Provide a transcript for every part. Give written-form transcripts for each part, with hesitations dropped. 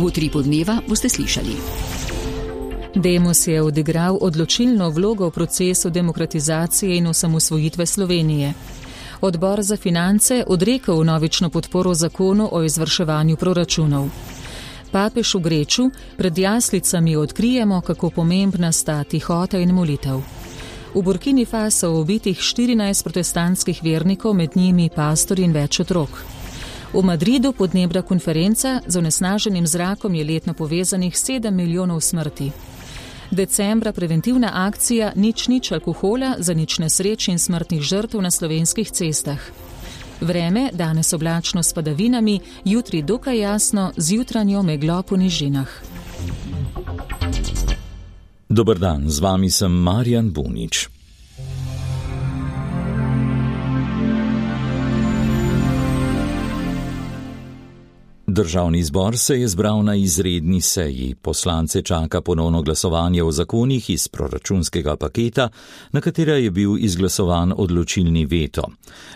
Utripu dneva boste slišali. Demos je odigral odločilno vlogo v procesu demokratizacije in osamosvojitve Slovenije. Odbor za finance odrekel vnovično podporo zakonu o izvrševanju proračunov. Papež v Greču, pred jaslicami odkrijemo, kako pomembna sta tihota in molitev. V Burkini Faso ubitih 14 protestantskih vernikov, med njimi pastor in več otrok. V Madridu podnebna konferenca, z onesnaženim zrakom je letno povezanih 7 milijonov smrti. Decembra preventivna akcija Nič alkohola za nič nesreč in smrtnih žrtev na slovenskih cestah. Vreme, danes oblačno s padavinami, jutri dokaj jasno z jutranjo meglo po nižinah. Dober dan, z vami sem Marjan Bunič. Državni zbor se je zbral na izredni seji. Poslance čaka ponovno glasovanje o zakonih iz proračunskega paketa, na katera je bil izglasovan odločilni veto.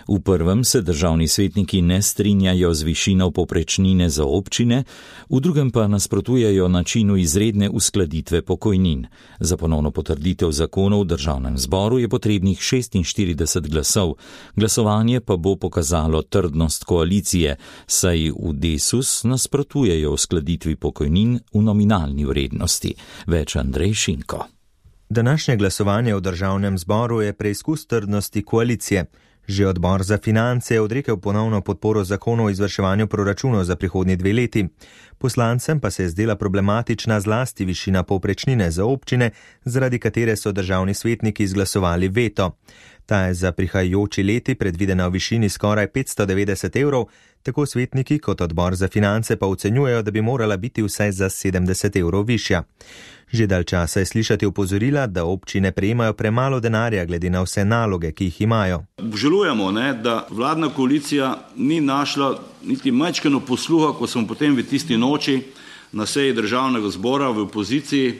V prvem se državni svetniki ne strinjajo z višino povprečnine za občine, v drugem pa nasprotujejo načinu izredne uskladitve pokojnin. Za ponovno potrditev zakonov v državnem zboru je potrebnih 46 glasov. Glasovanje pa bo pokazalo trdnost koalicije, saj v Desu nasprotujejo uskladitvi pokojnin v nominalni vrednosti. Več Andrej Šinko. Današnje glasovanje v državnem zboru je preizkus trdnosti koalicije. Že odbor za finance je odrekel ponovno podporo zakonu o izvrševanju proračunov za prihodnji 2 leti. Poslancem pa se je zdela problematična zlasti višina povprečnine za občine, zaradi katere so državni svetniki izglasovali veto. Ta je za prihajajoči leti predvidena v višini skoraj 590 evrov, tako svetniki kot odbor za finance pa ocenjujejo, da bi morala biti vsaj za 70 evrov višja. Že dalj časa je slišati opozorila, da občine prejemajo premalo denarja glede na vse naloge, ki jih imajo. Obžalujemo, da vladna koalicija ni našla niti majčkeno posluha, ko smo potem v tisti noči na seji državnega zbora v opoziciji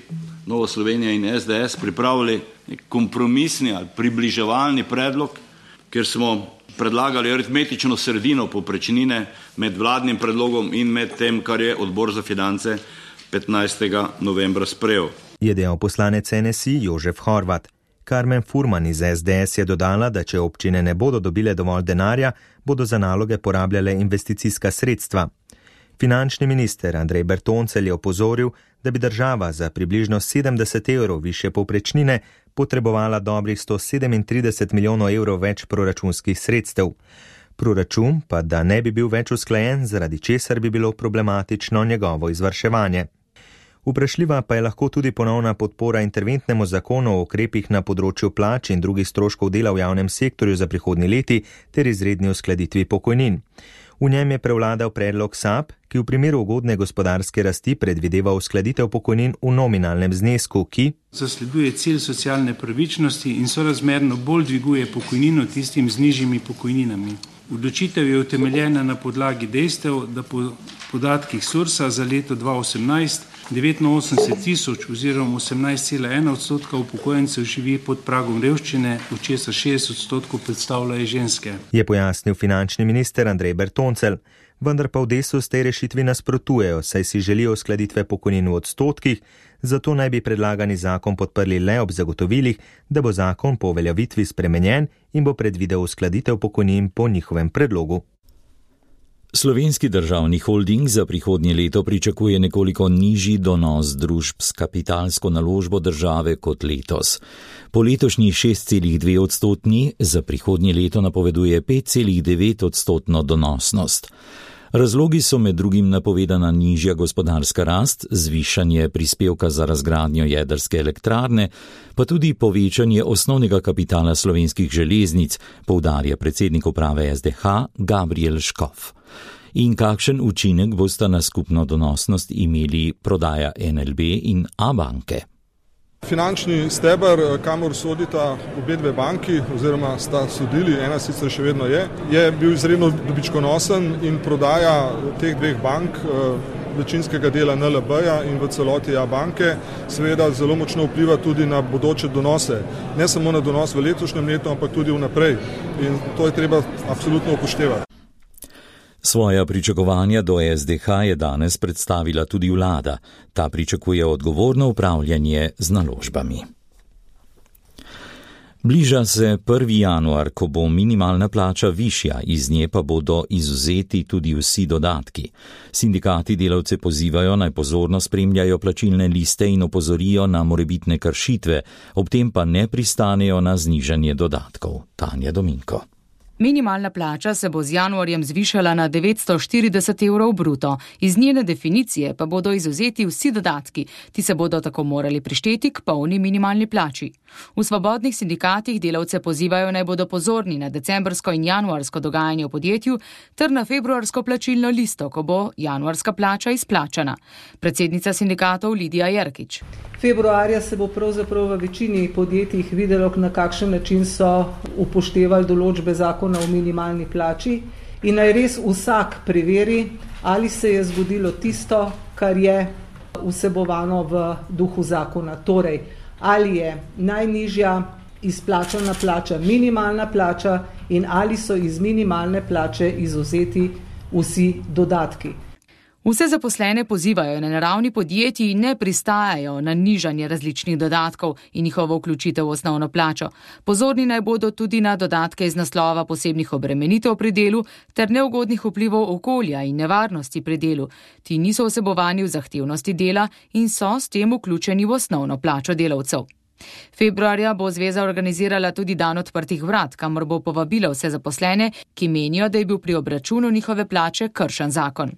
Nova Slovenija in SDS pripravili kompromisni ali približevalni predlog, ker smo predlagali aritmetično sredino povprečnine med vladnim predlogom in med tem, kar je odbor za finance 15. novembra sprejel. Je dejal poslanec NSI Jožef Horvat. Karmen Furman iz SDS je dodala, da če občine ne bodo dobile dovolj denarja, bodo za naloge porabljale investicijska sredstva. Finančni minister Andrej Bertoncelj je opozoril, da bi država za približno 70 evrov više povprečnine potrebovala dobrih 137 milijonov evrov več proračunskih sredstev. Proračun pa da ne bi bil več usklajen, zaradi česar bi bilo problematično njegovo izvrševanje. Vprašljiva pa je lahko tudi ponovna podpora interventnemu zakonu o ukrepih na področju plač in drugih stroškov dela v javnem sektorju za prihodnji leti ter izredni uskladitvi pokojnin. V njem je prevladal predlog SAB, ki v primeru ugodne gospodarske rasti predvideva uskladitev pokojnin v nominalnem znesku, ki zasleduje cilj socialne pravičnosti in sorazmerno bolj dviguje pokojnino tistim z nižjimi pokojninami. Odločitev je utemeljena na podlagi dejstev, da po podatkih SURS-a za leto 2018 89 tisoč oziroma 18,1% upokojencev živi pod pragom revščine, od česar 60% predstavljajo ženske. Je pojasnil finančni minister Andrej Bertoncelj, vendar pa v Desu s tej rešitvi nasprotujejo, saj si želijo uskladitve pokojnin v odstotkih, zato naj bi predlagani zakon podprli le ob zagotovilih, da bo zakon po uveljavitvi spremenjen in bo predvidel uskladitev pokojnin po njihovem predlogu. Slovenski državni holding za prihodnje leto pričakuje nekoliko nižji donos družb s kapitalsko naložbo države kot letos. Po letošnji 6,2%, za prihodnje leto napoveduje 5,9% donosnost. Razlogi so med drugim napovedana nižja gospodarska rast, zvišanje prispevka za razgradnjo jedrske elektrarne, pa tudi povečanje osnovnega kapitala Slovenskih železnic, poudarja predsednik uprave SDH Gabriel Škof. In kakšen učinek bosta na skupno donosnost imeli prodaja NLB in Abanke? Finančni steber, kamor sodita obe dve banki, oziroma sta sodili, ena sicer še vedno je bil izredno dobičkonosen in prodaja teh dveh bank, večinskega dela NLB-ja in v celoti Abanke, seveda zelo močno vpliva tudi na bodoče donose. Ne samo na donos v letošnjem letu, ampak tudi vnaprej. In to je treba absolutno upoštevati. Svoja pričakovanja do SDH je danes predstavila tudi vlada. Ta pričakuje odgovorno upravljanje z naložbami. Bliža se 1. januar, ko bo minimalna plača višja, iz nje pa bodo izvzeti tudi vsi dodatki. Sindikati delavce pozivajo, naj pozorno spremljajo plačilne liste in opozorijo na morebitne kršitve, ob tem pa ne pristanejo na znižanje dodatkov. Tanja Dominko. Minimalna plača se bo z januarjem zvišala na 940 evrov bruto. Iz njene definicije pa bodo izvzeti vsi dodatki. Ti se bodo tako morali prišteti k polni minimalni plači. V svobodnih sindikatih delavce pozivajo, naj bodo pozorni na decembrsko in januarsko dogajanje v podjetju ter na februarsko plačilno listo, ko bo januarska plača izplačana. Predsednica sindikatov Lidija Jerkič. Februarja se bo pravzaprav v večini podjetjih videlo, na kakšen način so upoštevali določbe zakona o minimalni plači in naj res vsak preveri, ali se je zgodilo tisto, kar je vsebovano v duhu zakona. Torej, ali je najnižja izplačana plača minimalna plača in ali so iz minimalne plače izvzeti vsi dodatki. Vse zaposlene pozivajo, na ravni podjetij ne pristajajo na nižanje različnih dodatkov in njihovo vključitev v osnovno plačo. Pozorni naj bodo tudi na dodatke iz naslova posebnih obremenitev pri delu ter neugodnih vplivov okolja in nevarnosti pri delu. Ti niso vsebovani v zahtevnosti dela in so s tem vključeni v osnovno plačo delavcev. Februarja bo zveza organizirala tudi dan odprtih vrat, kamor bo povabila vse zaposlene, ki menijo, da je bil pri obračunu njihove plače kršen zakon.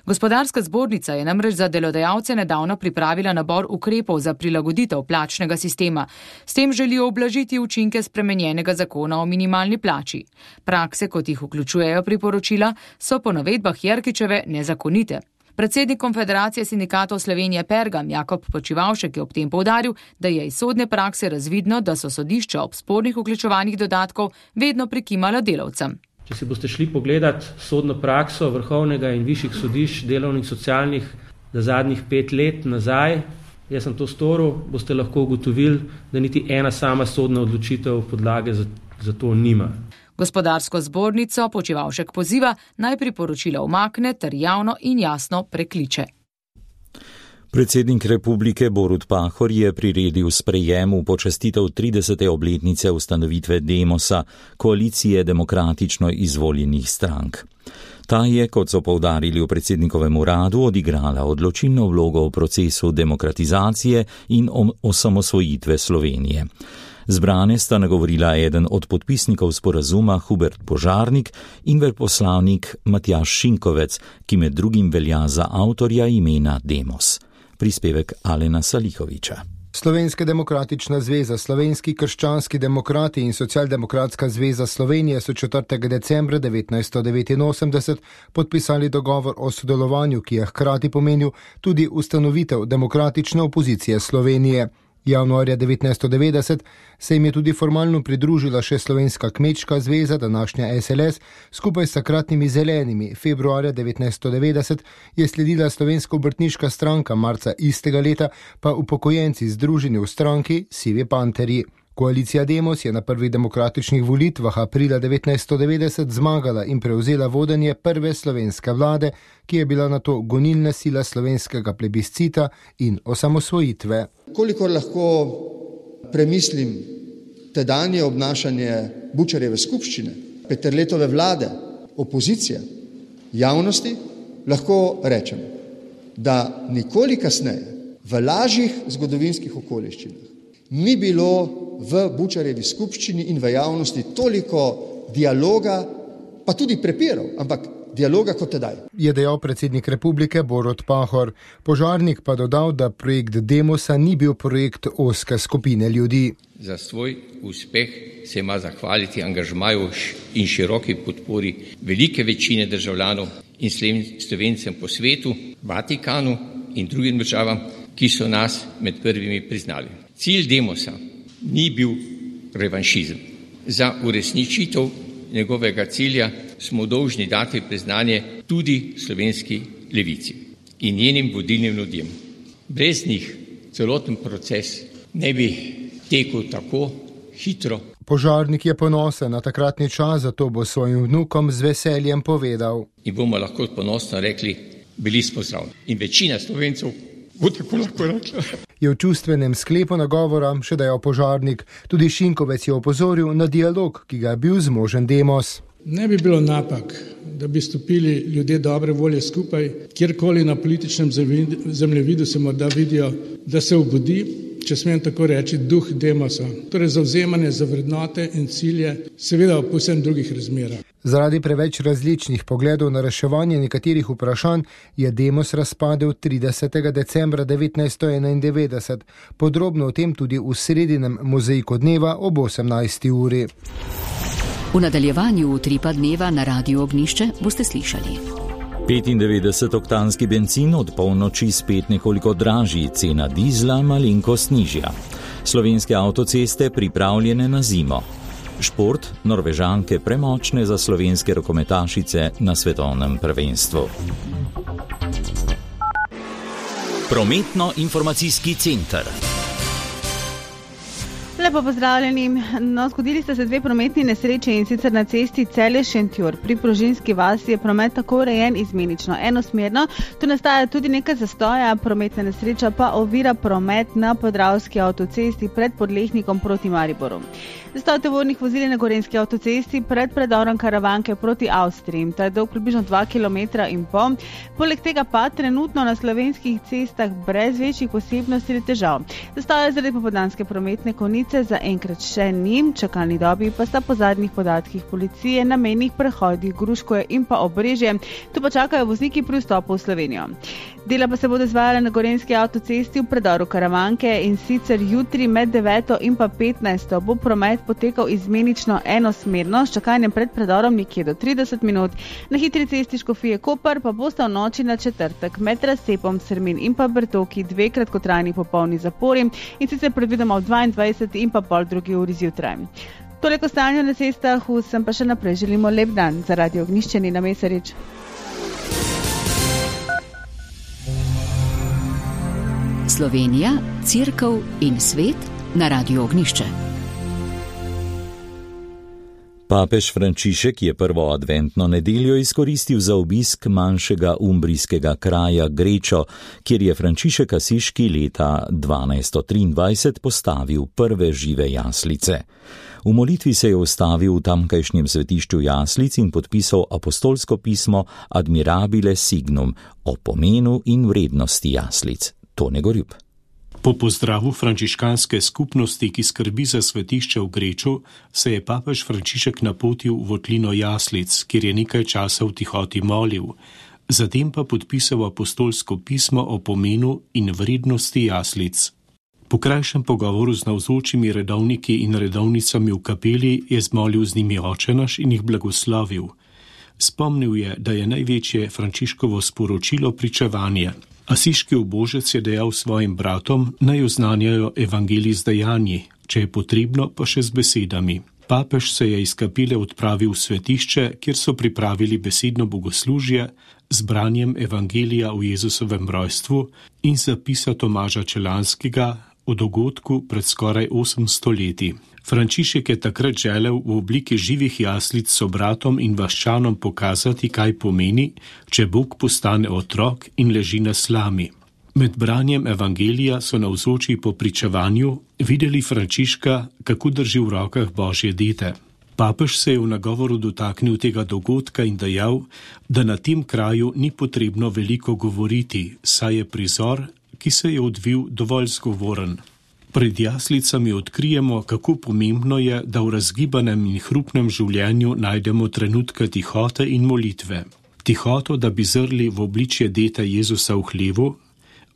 Gospodarska zbornica je namreč za delodajalce nedavno pripravila nabor ukrepov za prilagoditev plačnega sistema. S tem želijo ublažiti učinke spremenjenega zakona o minimalni plači. Prakse, kot jih vključujejo priporočila, so po navedbah Jerkičeve nezakonite. Predsednik Konfederacije sindikatov Slovenije Pergam Jakob Počivavšek je ob tem poudaril, da je iz sodne prakse razvidno, da so sodišča ob spornih vključevanih dodatkov vedno prikimala delavcem. Če si boste šli pogledat sodno prakso vrhovnega in višjih sodišč, delovnih, socialnih, za zadnjih 5 let nazaj, jaz sem to storil, boste lahko ugotovili, da niti ena sama sodna odločitev podlage za to nima. Gospodarsko zbornico Počivavšek poziva, naj priporočila umakne ter javno in jasno prekliče. Predsednik republike Borut Pahor je priredil sprejem v počastitev 30. obletnice ustanovitve Demosa, koalicije demokratično izvoljenih strank. Ta je, kot so poudarili v predsednikovem uradu, odigrala odločilno vlogo v procesu demokratizacije in osamosvojitve Slovenije. Zbrane sta nagovorila eden od podpisnikov sporazuma Hubert Požarnik in veleposlanik Matjaž Šinkovec, ki med drugim velja za avtorja imena Demos. Prispevek Alena Salihoviča. Slovenska demokratična zveza, Slovenski krščanski demokrati in Socialdemokratska zveza Slovenije so 4. decembra 1989 podpisali dogovor o sodelovanju, ki je hkrati pomenil tudi ustanovitev demokratične opozicije Slovenije. Januarja 1990 se jim je tudi formalno pridružila še Slovenska kmečka zveza, današnja SLS, skupaj s takratnimi zelenimi. Februarja 1990 je sledila Slovenska obrtniška stranka, marca istega leta pa upokojenci združeni v stranki Sivi panterji. Koalicija Demos je na prvih demokratičnih volitvah aprila 1990 zmagala in prevzela vodenje prve slovenske vlade, ki je bila nato gonilna sila slovenskega plebiscita in osamosvojitve. Kolikor lahko premislim tedanje obnašanje Bučarjeve skupščine, Peterletove vlade, opozicije, javnosti, lahko rečem, da nikoli kasneje v lažjih zgodovinskih okoliščinah ni bilo v Bučarjevi skupščini in v javnosti toliko dialoga, pa tudi prepirov, ampak dialoga kot tedaj. Je dejal predsednik republike Borut Pahor. Požarnik pa dodal, da projekt Demosa ni bil projekt ozke skupine ljudi. Za svoj uspeh se ima zahvaliti angažmaju in široki podpori velike večine državljanov in Slovencem po svetu, Vatikanu in drugim državam, ki so nas med prvimi priznali. Cilj Demosa ni bil revanšizem. Za uresničitev njegovega cilja smo dolžni dati priznanje tudi slovenski levici in njenim vodilnim ljudem. Brez njih celoten proces ne bi tekel tako hitro. Požarnik je ponosen na takratni čas, zato bo svojim vnukom z veseljem povedal. In bomo lahko ponosno rekli, bili smo zraven. In večina Slovencev bo tako lahko rekla. Je v čustvenem sklepu nagovora še dejal požarnik. Tudi Šinkovec je opozoril na dialog, ki ga je bil zmožen Demos. Ne bi bilo napak, da bi stopili ljudje dobre volje skupaj, kjerkoli na političnem zemljevidu se morda vidijo, da se obudi, če smem tako reči, duh Demosa. Torej zavzemanje za vrednote in cilje, seveda v povsem drugih razmerah. Zaradi preveč različnih pogledov na reševanje nekaterih vprašanj je Demos razpadel 30. decembra 1991. Podrobno o tem tudi v sredinem mozaiku dneva ob 18. uri. V nadaljevanju Utripa dneva na Radiu Ognjišče boste slišali. 95-oktanski bencin od polnoči spet nekoliko dražji, cena dizla malenkost nižja. Slovenske avtoceste pripravljene na zimo. Šport, Norvežanke premočne za slovenske rokometašice na svetovnem prvenstvu. Prometno-informacijski center. Lepo pozdravljeni. Zgodili sta se dve prometni nesreče, in sicer na cesti Celje-Šentjur. Pri Prožinski vasi je promet tako urejen izmenično enosmerno. Tu nastaja tudi nekaj zastoja, prometna nesreča pa ovira promet na Podravski avtocesti pred Podlehnikom proti Mariboru. Zastoj tovornih vozil na Gorenjski avtocesti pred predorom Karavanke proti Avstriji. Ta je dolg približno 2,5 km. Poleg tega pa trenutno na slovenskih cestah brez večjih posebnosti ali težav. Zastoja zaradi popoldanske prometne konice zaenkrat še ni, čakalni dobi pa sta po zadnjih podatkih policije na mejnih prehodih Gruškoje in pa Obrežje. Tu pa čakajo vozniki pri vstopu v Slovenijo. Dela pa se bodo izvajale na Gorenjski avtocesti v predoru Karavanke, in sicer jutri med 9 in pa 15 bo promet potekal izmenično enosmerno, s čakanjem pred predorom nekje do 30 minut. Na hitri cesti Škofije Koper pa bosta v noči na četrtek med razcepom Srmin in pa Bertoki dve kratkotrajni popolni zapori, in sicer predvidoma v 22 in pa pol drugi uri zjutraj. Toliko stanju na cestah, vsem pa še naprej želimo lep dan. Za Radio Ognjišče Nina Mesarič. Slovenija, Cerkev in svet na Radiu Ognjišče. Papež Frančišek je prvo adventno nedeljo izkoristil za obisk manjšega umbrijskega kraja Grečo, kjer je Frančišek Asiški leta 1223 postavil prve žive jaslice. V molitvi se je ustavil v tamkajšnjem svetišču jaslic in podpisal apostolsko pismo Admirabile Signum o pomenu in vrednosti jaslic. Tone Gorjup. Po pozdravu frančiškanske skupnosti, ki skrbi za svetišče v Greču, se je papež Frančišek napotil v votlino jaslic, kjer je nekaj časa v tihoti molil. Zatem pa podpisal apostolsko pismo o pomenu in vrednosti jaslic. Po krajšem pogovoru z navzočimi redovniki in redovnicami v kapeli je zmolil z njimi očenaš in jih blagoslovil. Spomnil je, da je največje Frančiškovo sporočilo pričevanje. Asiški ubožec je dejal svojim bratom, naj oznanjajo evangelij z dejanji, če je potrebno pa še z besedami. Papež se je iz kapele odpravil v svetišče, kjer so pripravili besedno bogoslužje z branjem evangelija o Jezusovem rojstvu in zapisa Tomaža Čelanskega o dogodku pred skoraj 800 leti. Frančišek je takrat želel v obliki živih jaslic sobratom in vaščanom pokazati, kaj pomeni, če Bog postane otrok in leži na slami. Med branjem evangelija so navzoči po pričevanju videli Frančiška, kako drži v rokah Božje dete. Papež se je v nagovoru dotaknil tega dogodka in dejal, da na tem kraju ni potrebno veliko govoriti, saj je prizor, ki se je odvil, dovolj zgovoren. Pred jaslicami odkrijemo, kako pomembno je, da v razgibanem in hrupnem življenju najdemo trenutke tihote in molitve. Tihoto, da bi zrli v obličje deta Jezusa v hlevu,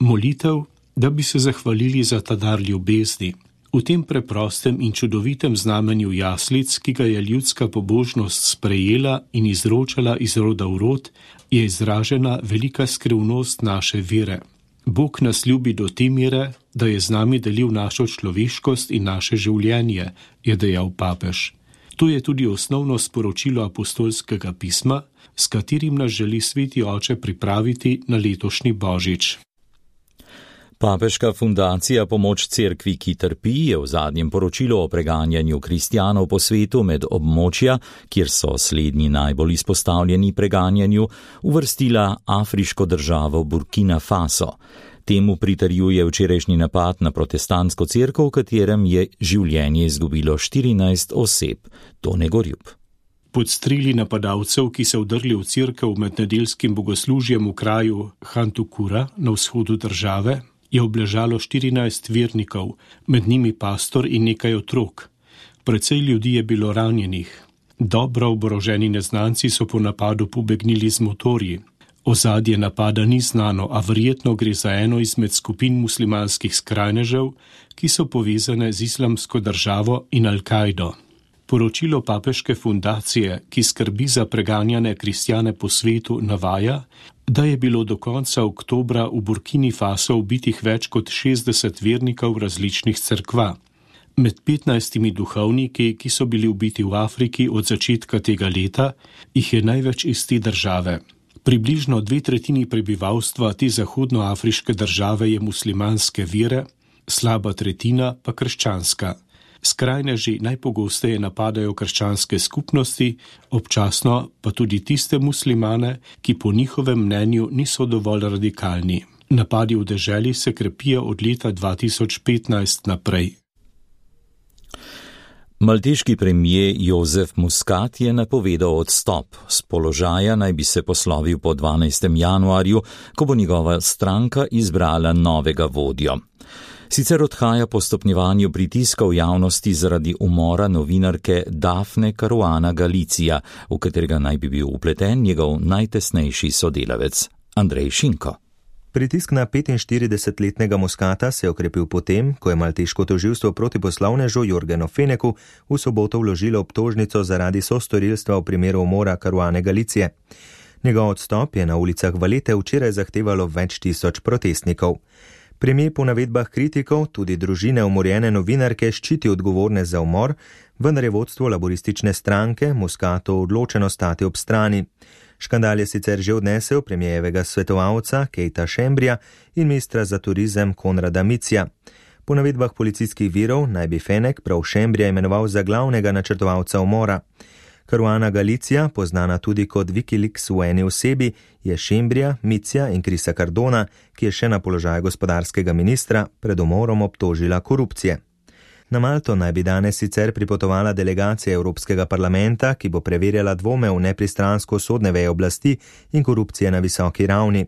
molitev, da bi se zahvalili za ta dar ljubezni. V tem preprostem in čudovitem znamenju jaslic, ki ga je ljudska pobožnost sprejela in izročala iz roda v rod, je izražena velika skrivnost naše vere. Bog nas ljubi do te mere, da je z nami delil našo človeškost in naše življenje, je dejal papež. To je tudi osnovno sporočilo apostolskega pisma, s katerim nas želi sveti oče pripraviti na letošnji božič. Papeška fundacija Pomoč cerkvi, ki trpi, je v zadnjem poročilu o preganjanju kristjanov po svetu med območja, kjer so slednji najbolj izpostavljeni preganjanju, uvrstila afriško državo Burkina Faso. Temu pritrjuje včerajšnji napad na protestantsko cerkev, v katerem je življenje izgubilo 14 oseb. Tone Gorjup. Pod streli napadalcev, ki so vdrli v cerkev med nedeljskim bogoslužjem v kraju Hantukura na vzhodu države, je obležalo 14 vernikov, med njimi pastor in nekaj otrok. Precej ljudi je bilo ranjenih. Dobro oboroženi neznanci so po napadu pobegnili z motorji. Ozadje napada ni znano, a verjetno gre za eno izmed skupin muslimanskih skrajnežev, ki so povezane z Islamsko državo in Al-Kaido. Poročilo Papeške fundacije, ki skrbi za preganjane kristjane po svetu, navaja, da je bilo do konca oktobra v Burkini Faso ubitih več kot 60 vernikov različnih cerkva. Med 15 duhovniki, ki so bili ubiti v Afriki od začetka tega leta, jih je največ iz te države. Približno 2/3 prebivalstva te zahodnoafriške države je muslimanske vere, slaba tretjina pa krščanska. Skrajneži najpogosteje napadajo krščanske skupnosti, občasno pa tudi tiste muslimane, ki po njihovem mnenju niso dovolj radikalni. Napadi v deželi se krepijo od leta 2015 naprej. Malteški premijer Jozef Muscat je napovedal odstop. Z položaja naj bi se poslovil po 12. januarju, ko bo njegova stranka izbrala novega vodjo. Sicer odhaja po stopnjevanju pritiskov javnosti zaradi umora novinarke Dafne Caruana Galizia, v katerega naj bi bil vpleten njegov najtesnejši sodelavec Andrej Šinko. Pritisk na 45-letnega Muscata se je okrepil potem, ko je malteško tožilstvo proti poslovnežu Jorgenu Feneku v soboto vložilo obtožnico zaradi sostorilstva v primeru umora Caruane Galicije. Njegov odstop je na ulicah Valete včeraj zahtevalo več tisoč protestnikov. Premijer po navedbah kritikov tudi družine umorjene novinarke ščiti odgovorne za umor, vendar je vodstvo laboristične stranke Muscatu odločeno stati ob strani. Škandal je sicer že odnesel premijevega svetovalca Keita Šembrija in ministra za turizem Konrada Micija. Po navedbah policijskih virov naj bi Fenek prav Šembrija imenoval za glavnega načrtovalca umora. Caruana Galizia, poznana tudi kot Wikileaks v eni osebi, je Šembrija, Micija in Krisa Cardona, ki je še na položaju gospodarskega ministra, pred umorom obtožila korupcije. Na Malto naj bi danes sicer pripotovala delegacija Evropskega parlamenta, ki bo preverjala dvome v nepristransko sodne veje oblasti in korupcije na visoki ravni.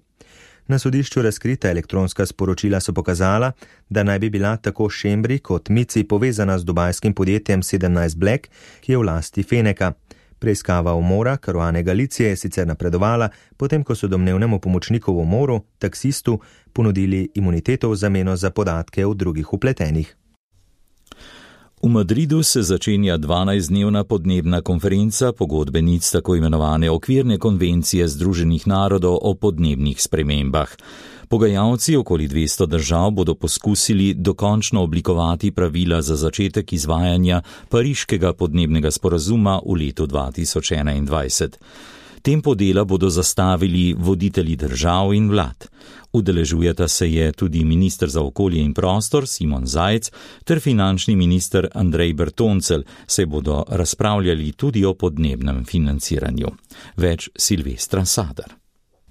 Na sodišču razkrita elektronska sporočila so pokazala, da naj bi bila tako Šembri kot Mici povezana z dubajskim podjetjem 17 Black, ki je v lasti Feneka. Preiskava umora Caruane Galicije je sicer napredovala, potem ko so domnevnemu pomočniku v umoru, taksistu, ponudili imuniteto v zameno za podatke o drugih vpletenih. V Madridu se začenja 12-dnevna podnebna konferenca pogodbenic tako imenovane okvirne konvencije Združenih narodov o podnebnih spremembah. Pogajalci okoli 200 držav bodo poskusili dokončno oblikovati pravila za začetek izvajanja Pariškega podnebnega sporazuma v letu 2021. Tempo dela bodo zastavili voditelji držav in vlad. Udeležujeta se je tudi minister za okolje in prostor Simon Zajc ter finančni minister Andrej Bertoncelj, se bodo razpravljali tudi o podnebnem financiranju. Več Silvestra Sadar.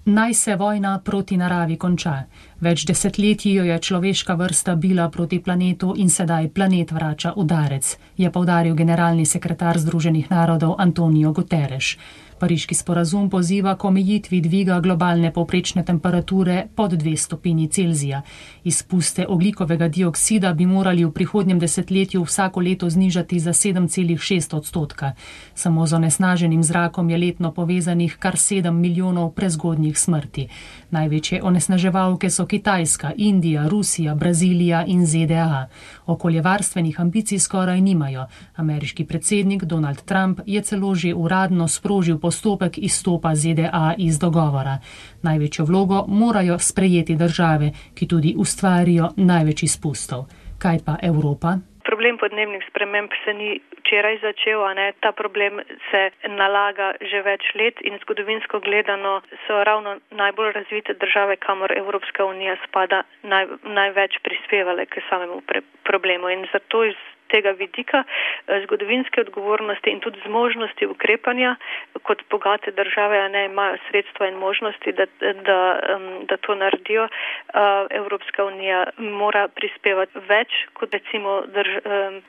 Naj se vojna proti naravi konča. Več desetletij jo je človeška vrsta bila proti planetu in sedaj planet vrača udarec, je poudaril generalni sekretar Združenih narodov Antonio Guterres. Pariški sporazum poziva k omejitvi dviga globalne povprečne temperature pod 2 stopinji Celzija. Izpuste ogljikovega dioksida bi morali v prihodnjem desetletju vsako leto znižati za 7,6%. Samo z onesnaženim zrakom je letno povezanih kar 7 milijonov prezgodnjih smrti. Največje onesnaževalke so Kitajska, Indija, Rusija, Brazilija in ZDA. Okoljevarstvenih ambicij skoraj nimajo. Ameriški predsednik Donald Trump je celo že uradno sprožil postopek izstopa ZDA iz dogovora. Največjo vlogo morajo sprejeti države, ki tudi ustvarijo največ izpustov. Kaj pa Evropa? Problem podnebnih sprememb se ni včeraj začel, ta problem se nalaga že več let in zgodovinsko gledano so ravno najbolj razvite države, kamor Evropska unija spada, največ prispevale k samemu problemu in zato iz tega vidika zgodovinske odgovornosti in tudi zmožnosti ukrepanja kot bogate države, imajo sredstva in možnosti, da to naredijo. Evropska unija mora prispevati več kot recimo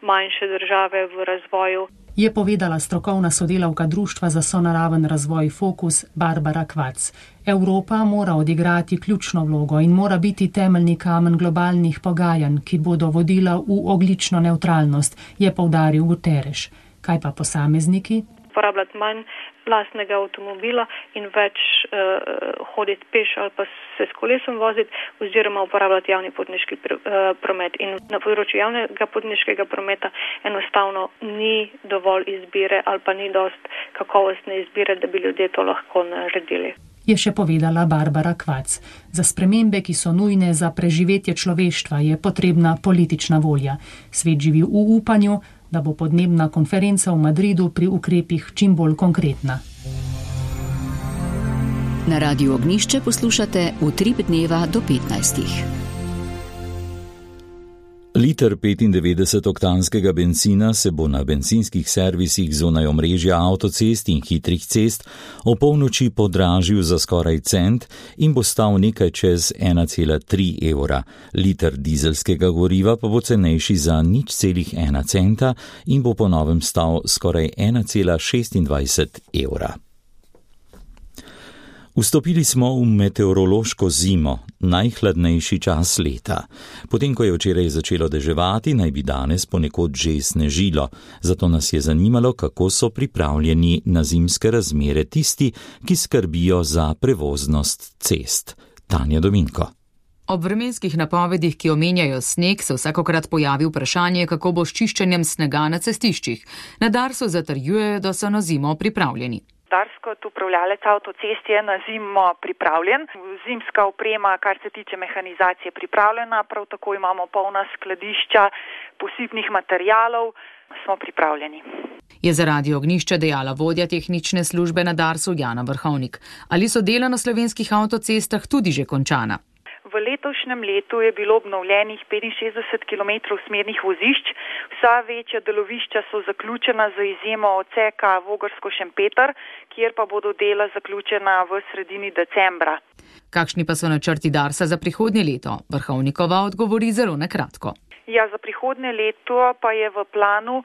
manjše države v razvoju. Je povedala strokovna sodelavka Društva za sonaraven razvoj Fokus Barbara Kvac. Evropa mora odigrati ključno vlogo in mora biti temeljni kamen globalnih pogajanj, ki bodo vodila v ogljično nevtralnost, je poudaril Guterres. Kaj pa posamezniki? Uporabljati manj lastnega avtomobila in več hoditi peš ali pa se s kolesom voziti oziroma uporabljati javni potniški promet. In na področju javnega potniškega prometa enostavno ni dovolj izbire ali pa ni dost kakovostne izbire, da bi ljudje to lahko naredili. Je še povedala Barbara Kvac. Za spremembe, ki so nujne za preživetje človeštva, je potrebna politična volja. Svet živi v upanju, da bo podnebna konferenca v Madridu pri ukrepih čim bolj konkretna. Na Radiu Ognišče poslušate Utrip dneva do 15. Liter 95-oktanskega bencina se bo na bencinskih servisih zunaj omrežja avtocest in hitrih cest o polnoči podražil za skoraj cent in bo stal nekaj čez 1,3 evra. Liter dizelskega goriva pa bo cenejši za 0,1 centa in bo po novem stal skoraj 1,26 evra. Vstopili smo v meteorološko zimo, najhladnejši čas leta. Potem, ko je včeraj začelo deževati, naj bi danes ponekod že snežilo. Zato nas je zanimalo, kako so pripravljeni na zimske razmere tisti, ki skrbijo za prevoznost cest. Tanja Dominko. Ob vremenskih napovedih, ki omenjajo sneg, se vsakokrat pojavi vprašanje, kako bo s čiščenjem snega na cestiščih. Na Darsu zatrjujejo, da so na zimo pripravljeni. Dars kot upravljalec avtocest je na zimo pripravljen. Zimska oprema, kar se tiče mehanizacije, pripravljena. Prav tako imamo polna skladišča posipnih materialov. Smo pripravljeni. Je za Radio Ognišče dejala vodja tehnične službe na Darsu Jana Vrhovnik. Ali so dela na slovenskih avtocestah tudi že končana? V letošnjem letu je bilo obnovljenih 65 km smernih vozišč. Vsa večja delovišča so zaključena z izjemo odseka Vogrsko-Šempeter, kjer pa bodo dela zaključena v sredini decembra. Kakšni pa so načrti Darsa za prihodnje leto? Vrhovnikova odgovori zelo na kratko. Ja, za prihodnje leto pa je v planu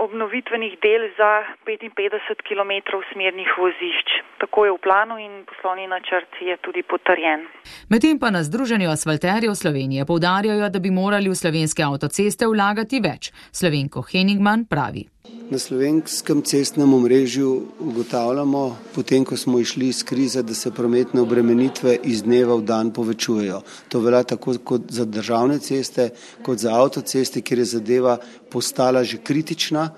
obnovitvenih del za 55 km smernih vozišč. Tako je v planu in poslovni načrt je tudi potrjen. Medtem pa na Združenju asfalterjev Slovenije poudarjajo, da bi morali v slovenske avtoceste vlagati več. Slovenko Henigman pravi. Na slovenskem cestnem omrežju ugotavljamo, potem ko smo išli iz krize, da se prometne obremenitve iz dneva v dan povečujejo. To velja tako kot za državne ceste, kot za avtoceste, kjer je zadeva postala že kritična.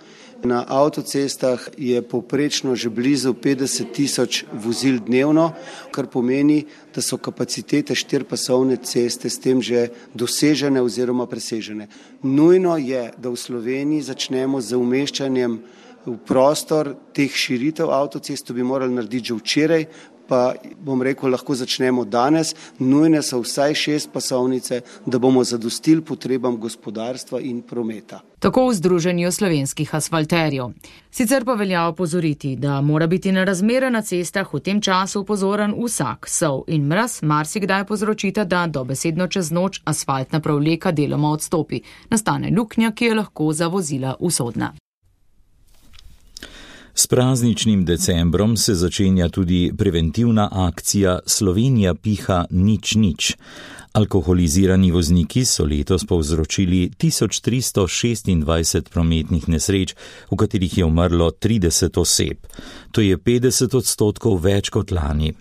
Na avtocestah je povprečno že blizu 50 tisoč vozil dnevno, kar pomeni, da so kapacitete štiripasovne ceste s tem že dosežene oziroma presežene. Nujno je, da v Sloveniji začnemo z umeščanjem v prostor teh širitev avtocest, to bi morali narediti že včeraj, pa bom rekel, lahko začnemo danes. Nujne so vsaj 6 pasovnice, da bomo zadostili potrebam gospodarstva in prometa. Tako v Združenju slovenskih asfalterjev. Sicer pa velja opozoriti, da mora biti na razmere na cestah v tem času pozoren vsak. Sol in mraz marsikdaj povzročita, da dobesedno čez noč asfaltna prevleka deloma odstopi. Nastane luknja, ki je lahko za vozila usodna. S prazničnim decembrom se začenja tudi preventivna akcija Slovenija piha nič. Alkoholizirani vozniki so letos povzročili 1326 prometnih nesreč, v katerih je umrlo 30 oseb. To je 50% več kot lani.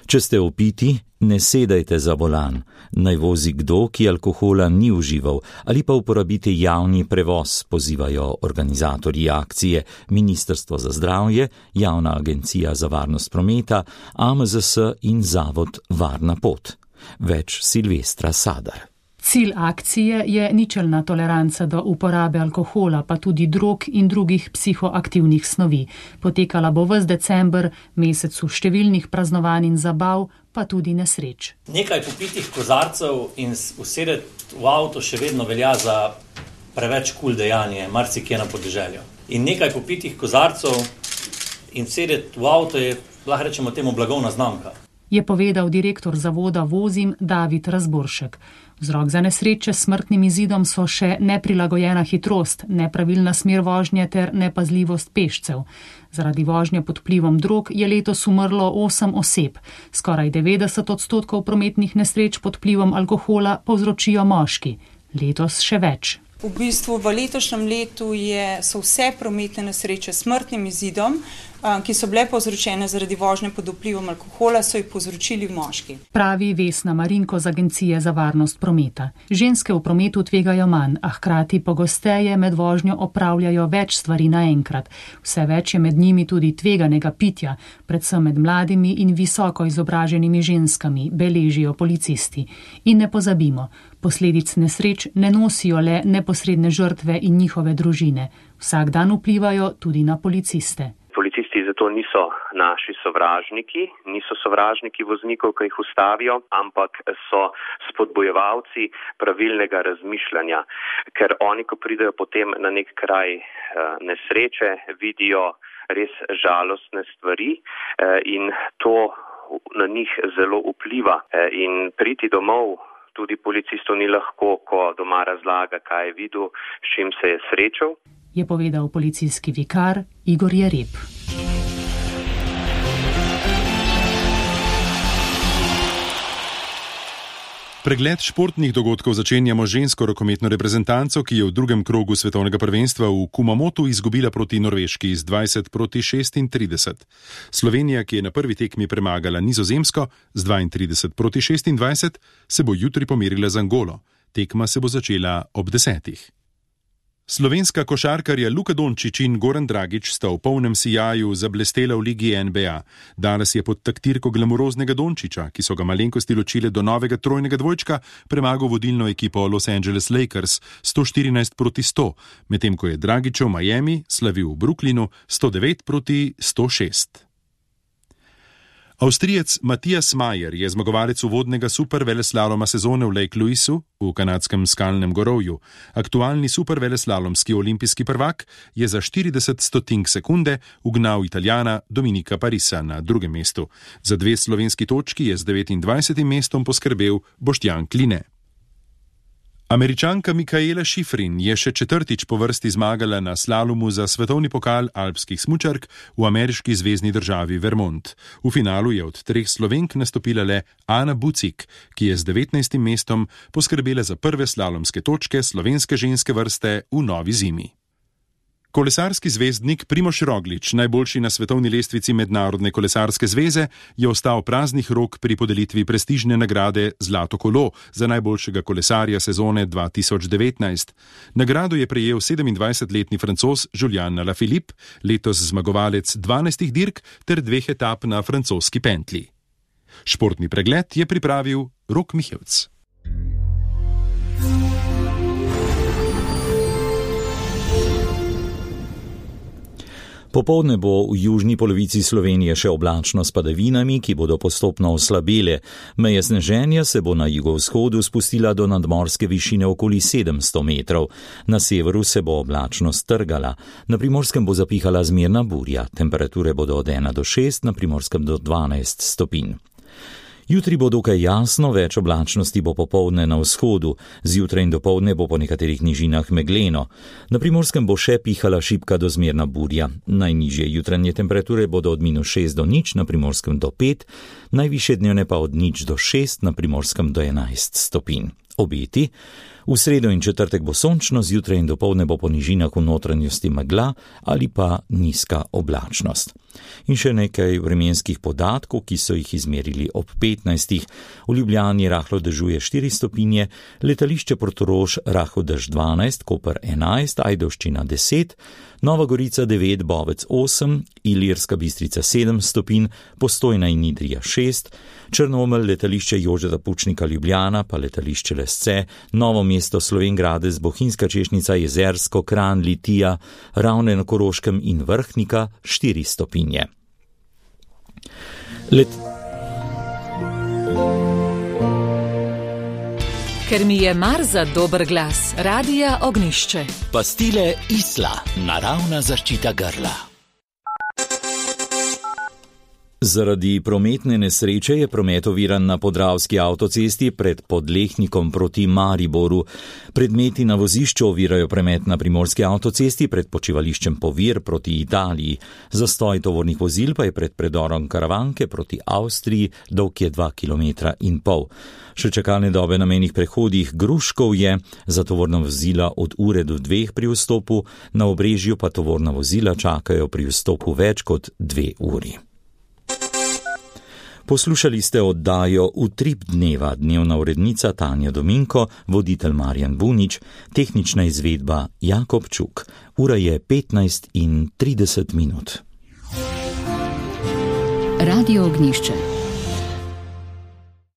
Če ste opiti, ne sedajte za volan. Naj vozi kdo, ki alkohola ni užival, ali pa uporabite javni prevoz, pozivajo organizatorji akcije, Ministrstvo za zdravje, Javna agencija za varnost prometa, AMZS in Zavod Varna pot. Več Silvestra Sadar. Cilj akcije je ničelna toleranca do uporabe alkohola, pa tudi drog in drugih psihoaktivnih snovi. Potekala bo ves december, mesecu številnih praznovanj in zabav, pa tudi nesreč. Nekaj popitih kozarcev in usedeti v avto še vedno velja za preveč kul dejanje, marsikje na podeželju. In nekaj popitih kozarcev in sedeti v avto je, lahko rečemo temu, blagovna znamka. Je povedal direktor zavoda Vozim David Razboršek. Vzrok za nesreče s smrtnim izidom so še neprilagojena hitrost, nepravilna smer vožnje ter nepazljivost pešcev. Zaradi vožnje pod vplivom drog je letos umrlo 8 oseb. Skoraj 90% prometnih nesreč pod vplivom alkohola povzročijo moški. Letos še več. V bistvu v letošnjem letu so vse prometne nesreče s smrtnim izidom, ki so bile povzročene zaradi vožnje pod vplivom alkohola, so jih povzročili moški. Pravi Vesna Marinko z Agencije za varnost prometa. Ženske v prometu tvegajo manj, a hkrati pogosteje med vožnjo opravljajo več stvari naenkrat. Vse več je med njimi tudi tveganega pitja, predvsem med mladimi in visoko izobraženimi ženskami, beležijo policisti. In ne pozabimo, posledic nesreč ne nosijo le neposredne žrtve in njihove družine. Vsak dan vplivajo tudi na policiste. Policisti zato niso naši sovražniki, niso sovražniki voznikov, ki jih ustavijo, ampak so spodbojevalci pravilnega razmišljanja, ker oni, ko pridejo potem na nek kraj nesreče, vidijo res žalostne stvari in to na njih zelo vpliva. In priti domov tudi policistov ni lahko, ko doma razlaga, kaj je videl, s čim se je srečal. Je povedal policijski vikar Igor Jereb. Pregled športnih dogodkov začenjamo žensko rokometno reprezentanco, ki je v drugem krogu svetovnega prvenstva v Kumamotu izgubila proti Norveški z 20-36. Slovenija, ki je na prvi tekmi premagala Nizozemsko z 32-26, se bo jutri pomerila z Angolo. Tekma se bo začela ob 10. Slovenska košarkarja Luka Dončić in Goran Dragić sta v polnem sijaju zablestela v ligi NBA. Danes je pod taktirko glamuroznega Dončića, ki so ga malenkosti ločile do novega trojnega dvojčka, premagal vodilno ekipo Los Angeles Lakers 114-100, medtem ko je Dragić v Miami slavil v Brooklynu 109-106. Avstrijec Matijas Majer je zmagovalec uvodnega superveleslaloma sezone v Lake Louisu v kanadskem skalnem gorovju. Aktualni superveleslalomski olimpijski prvak je za 40 stotink sekunde ugnal Italijana Dominika Parisa na drugem mestu. Za 2 slovenski točki je z 29. mestom poskrbel Boštjan Kline. Američanka Mikaela Šifrin je še 4. po vrsti zmagala na slalomu za svetovni pokal alpskih smučark v ameriški zvezni državi Vermont. V finalu je od 3 Slovenk nastopila le Ana Bucik, ki je z 19. mestom poskrbela za prve slalomske točke slovenske ženske vrste v novi zimi. Kolesarski zvezdnik Primož Roglič, najboljši na svetovni lestvici Mednarodne kolesarske zveze, je ostal praznih rok pri podelitvi prestižne nagrade Zlato kolo za najboljšega kolesarja sezone 2019. Nagrado je prejel 27-letni Francoz Julian Alaphilippe, letos zmagovalec 12 dirk ter 2 etap na francoski pentli. Športni pregled je pripravil Rok Mihevc. Popoldne bo v južni polovici Slovenije še oblačno s padavinami, ki bodo postopno oslabele. Meja sneženja se bo na jugovzhodu spustila do nadmorske višine okoli 700 metrov. Na severu se bo oblačnost trgala. Na Primorskem bo zapihala zmerna burja. Temperature bodo od 1 do 6, na Primorskem do 12 stopinj. Jutri bo dokaj jasno, več oblačnosti bo popoldne na vzhodu, zjutraj in dopoldne bo po nekaterih nižinah megleno. Na Primorskem bo še pihala šibka do zmerna burja. Najnižje jutranje temperature bodo od -6 do 0, na Primorskem do 5, najvišje dnevne pa od 0 do 6, na Primorskem do 11 stopinj. Obeti. V sredo in četrtek bo sončno, zjutraj in dopoldne bo po nižinah v notranjosti megla ali pa nizka oblačnost. In še nekaj vremenskih podatkov, ki so jih izmerili ob 15. V Ljubljani rahlo dežuje 4 stopinje, letališče Portorož rahlo dež 12, Koper 11, Ajdovščina 10, Nova Gorica 9, Bovec 8, Ilirska Bistrica 7 stopinj, Postojna in Idrija 6, Črnomelj, letališče Jožeta Pučnika Ljubljana, pa letališče Lesce, Novo mesto Slovenj Gradec, Bohinjska Češnica, Jezersko, Kranj, Litija, Ravne na Koroškem in Vrhnika 4 stopinje. Ker mi je mar za dober glas, Radia Ognišče. Pastile Isla, naravna zaščita grla. Zaradi prometne nesreče je promet oviran na Podravski avtocesti pred Podlehnikom proti Mariboru. Predmeti na vozišču ovirajo promet na Primorski avtocesti pred počivališčem Povir proti Italiji. Zastoj tovornih vozil pa je pred predorom Karavanke proti Avstriji, dolg je 2,5 km. Še čakalne dobe na mejnih prehodih Gruškov je za tovorna vozila od ure do 2 pri vstopu, na Obrežju pa tovorna vozila čakajo pri vstopu več kot 2 uri. Poslušali ste oddajo Utrip dneva, dnevna urednica Tanja Dominko, voditelj Marjan Bunič, tehnična izvedba Jakob Čuk. Ura je 15:30. Radio Ognišče.